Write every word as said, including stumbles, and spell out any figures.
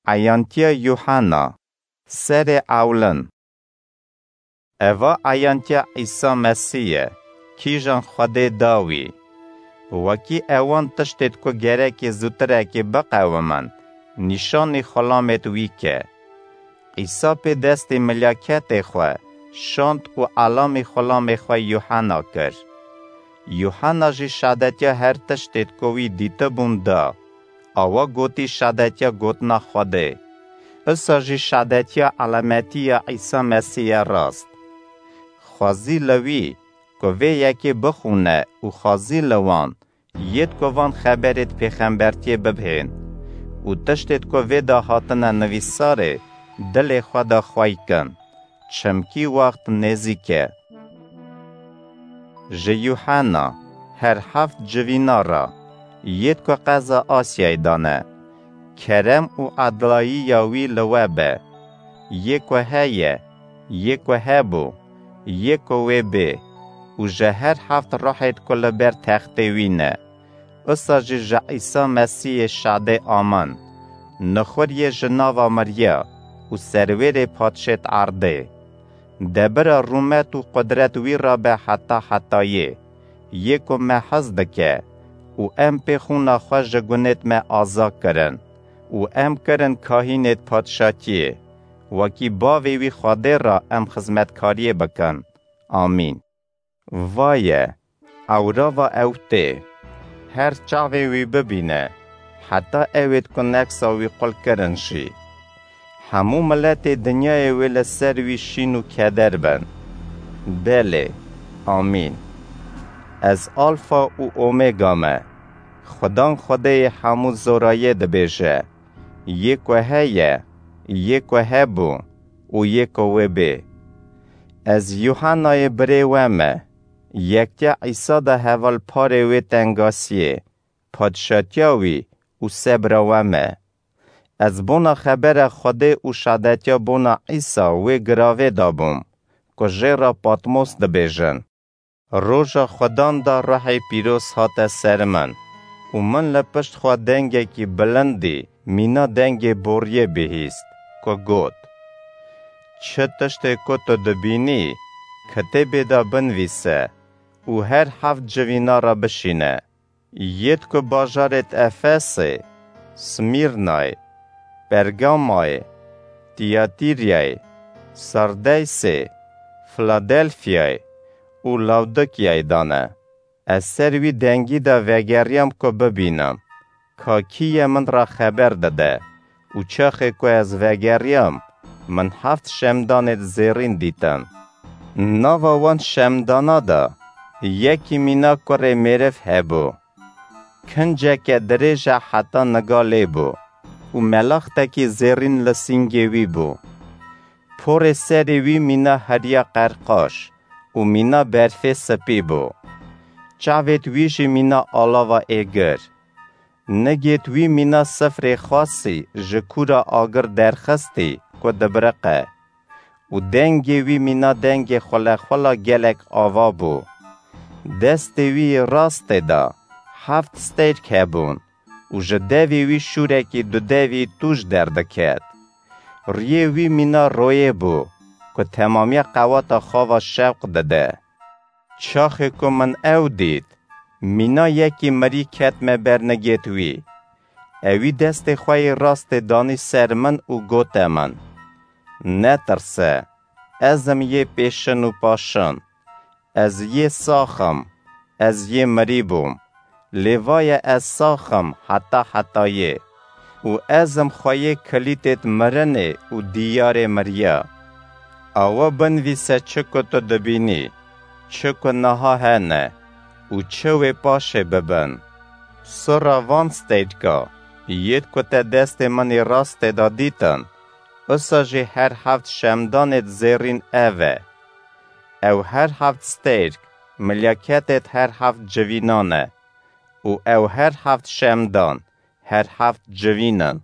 Eyantiya Yuhanna, serê ewlin. Eva eyantiya Îsa Mesîh ye, kîjan Xwedê da wî. Wekî ewan tiştêt ku gerekê zûtirekê biqewimin, nîşanî xulamêt wî ke. Îsa pê destê milyaketê xwe şand û elamî xulamê xwe Yuhanna kir. Yuhanna jî şadetiya her tiştêt ku wî dîtibûn da. Awa gotî şadetiya gotina Xwedê. Isa jî şadetiya elametiya Îsa Mesîh ye rast. Xwezî li wî ku vê yekê bixûne û xwezî li wan, yêt ku van xeberêt pêxembertiyê bibhên û tiştêt ku vê de hatine nivîsarê, dilê xwe de xwey kin, çimkî wext nêzîk e. Ji Yuhanna, her heft civîna re, yêt ku qeza Asyayê de ne. Kerem û edlayiya wî li we be. Yê ku heye, yê ku hebû, yê ku wê bê û ji her heft ruhêt ku li ber textê wî ne. Usa jî ji Îsa Mesîhê şadê amin. Nixuriyê ji nava miriya û serwêrê padşêt erdê. Debira rûmet û qudret wî re be heta hetayê. Yê ku me hez dike û em pê xûna xwe ji gunêt me aza kirin û em kirin kahînêt padşatiyê. Wekî bavê wî Xwedê re em xizmetkariyê bikin. Amîn. Vaye, ewrava ew tê. Her çavê wî bibîne, heta ewêt ku neksa wî qul kirin jî. Hemû miletê dinyayê wê li ser wî şîn û keder bin. Belê. Amîn. Ez Alfa û Omega me. Xudan Xwedêyê hemû zorayê dibêje. Yê ku heye, yê ku hebû û yê ku wê bê. Ez Yuhannayê birê we me. Yektiya Îsa de hevalparê wê tengasiyê, padşatiya wî û sebra we me. Ez bona xebera Xwedê û şadetiya bona Îsa wê giravê de bûm, ku jê re Patmos dibêjin. Roja Xudan de Ruhê Pîroz hate ser min û min li pişt xwe dengekî bilind dî, mîna dengê boriyê bihîst, ku got, "Çi tiştê ku tu dibînî, kitêbê de binivîse û her heft civîna re bişîne." Yêt ku bajarêt Efesê, Smîrnayê, Pergamayê, Tiyatîryayê, Sardeysê, Filadelfyayê û Lawdikiyayê de ne. Ez ser wî dengî de vegeriyam ku bibînim, ka kî ye min re xeber dide û çaxê ku ez vegeriyam, min heft şemdanêt zêrîn dîtin. Nava wan şemdana de yekî mîna kurê mêriv hebû. Kinceke dirêj e heta niga lê bû û melaxtekî zêrîn li sîngê wî bû. Porê serê wî mîna heriya qerqaş û mîna berfê spî bû. Çavêt wî jî mîna alava êgir. Nigêt wî mîna sifrê xasî ji kûra agir derxistî ku dibiriqe û dengê wî mîna dengê xulexula gelek ava bû. Destê wî yê rastê de heft stêrk hebûn û ji devê wî şûrekî dudevî tûj derdiket. Riyê wî mîna royê bû ku temamiya qewata xwe ve şewq dide. Çaxê ku min ew dît, mîna yekî mirî ketime ber nigêt wî. Ewî destê xwe yê rastê danî ser min û gote min, "Netirse, ez im yê pêşin û paşin. Ez yê sax im, ez yê mirî bûm. Lê vaye ez sax im heta hetayê û ez im xweyê kilîtêt mirinê û diyarê miriya. Awa binivîse çi ku tu dibînî, çi ku niha hene û çi wê paşê bibin." Sura van stêrka, yêt ku te destê min ê rastê de dîtin, usa jî her heft şemdanêt zêrîn ev e. Ew her heft stêrk, milyaketêt her heft civînan e û ew her heft şemdan, her heft civîn in.